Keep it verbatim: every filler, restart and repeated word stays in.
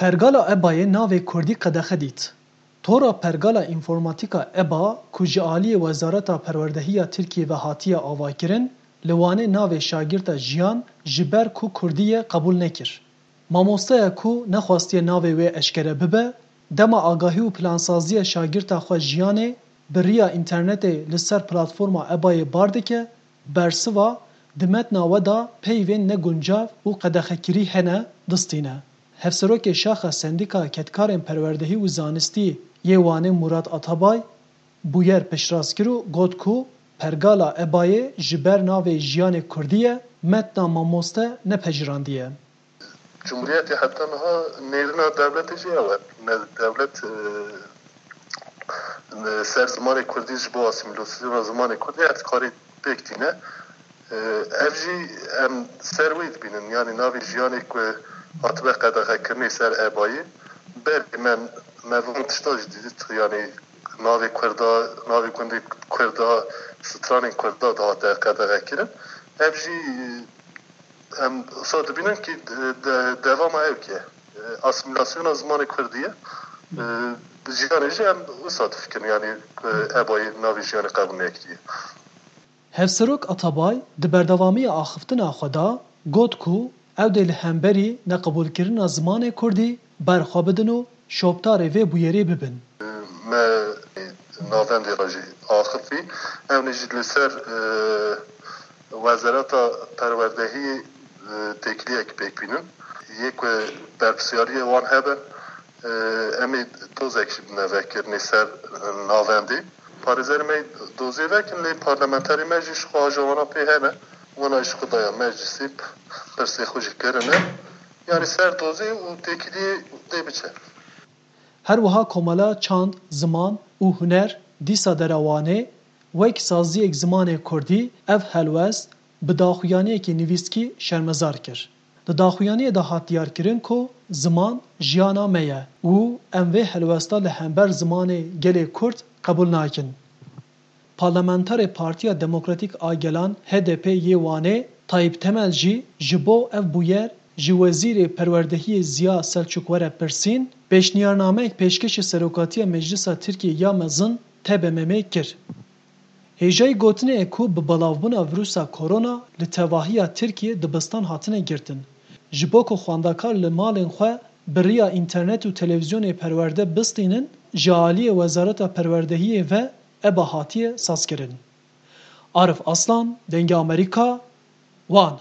Pergala EBAyê navê kurdî qedexe dît. Tora Pergala Înformatîka EBA ku ji aliyê Wezareta Perwerdehiya Tirkiyê ve hatiye avakirin, li Wanê navê şagirta Jiyan ji ber ku kurdî ye qebûl nekir. Mamosteya ku nexwastiye navê wê eşkere bibe, dema agahî û plansaziya şagirta xwe Jiyanê bi riya înternetê li ser platforma EBAyê bar dike, bersiva di metna we de peyvên neguncav û qedexekirî hene distîne. Hevserokê Şaxa Sendîka Kedkarên Perwerdehî û Zanistî yê Wanê Murat Atabay bûyer piştrast kir û got ku pergala EBAyê ji ber navê Jiyanê Kurdî ye, metna mamoste nepejîrandiye. Cumhuriyetê heta niha nêrîna dewletê jî ew e. Ne dewlet e, ser zimanê kurdî ji bo asîmîlasyona zimanê kurdî her karî pêk tîne. E, ev jî em ser wê dibînin. Yanî navê Jiyanê ku hatibe qedexekirinê ser EBAyê, berê me, me van tişta jî dît. Yanî navê Kurda, navê gundê Kurda, stranên Kurda dihate qedexekirin. Ev jî em wisa dibînin kî de, de, devama ev kê. E, asîmîlasyona zimanê kurdî ye. E, Jiyanê jî em wisa difikirin, yanî e, EBAyê navê Jiyanê qebûl nekiriye. Hevserok Atabay di berdewamiya axiftina xwe de got ku ew dê li hemberî neqebûlkirina zimanê kurdî berxwe bidin û şopdarê vê bûyerê bibin. Me navendê re jî axifî. Ew ne jî li ser e, Wezareta Perwerdehiyê e, têkiliyek pêk bînin. Yê ku berpirsyariyê wan hebe, e, em ê dozek jî bidine vekirinê ser e, navendê. Parêzerê me dozê vekin, lê parlamenterê me jî ji xwe ajawana pê hene. Wana ji xwe daya meclisê, pirsê xwe jî kirine. Yanî ser dozê û têkiliyê dê biçe. Her wiha Komela Çand, Ziman û Huner dîsa dera Wanê wek saziyek zimanê kurdî ev helwest bi daxuyaniyekî nivîskî şermezar kir. Di daxuyaniyê de hat diyarkirin ku ziman jiyana me ye û em vê helwesta li hember zimanê gelê kurd qebûl nakin. Parlamenterê Partiya Demokratîk a Gelan, H D P, yê Wanê, Tayyip Temel jî ji bo ev bûyer ji Wezîrê Perwerdehiyê Ziya Selçuk were pirsîn, pêşniyarnameyek pêşkêşî Serokatiya Meclisa Tirkiyê ya Mezin, T B M M, kir. Hêjayî gotinê ye ku bi belavbûna vîrusa korona li tevahiya Tirkiyê dibistan hatine girtin. Ji bo ku xwendekar li malên xwe bi riya înternet û televîzyonê perwerde bistînin, ji aliyê Wezareta Perwerdehiyê ve EBA hatiye sazkirin. Arif Aslan, Dengê Amerîka, Wan.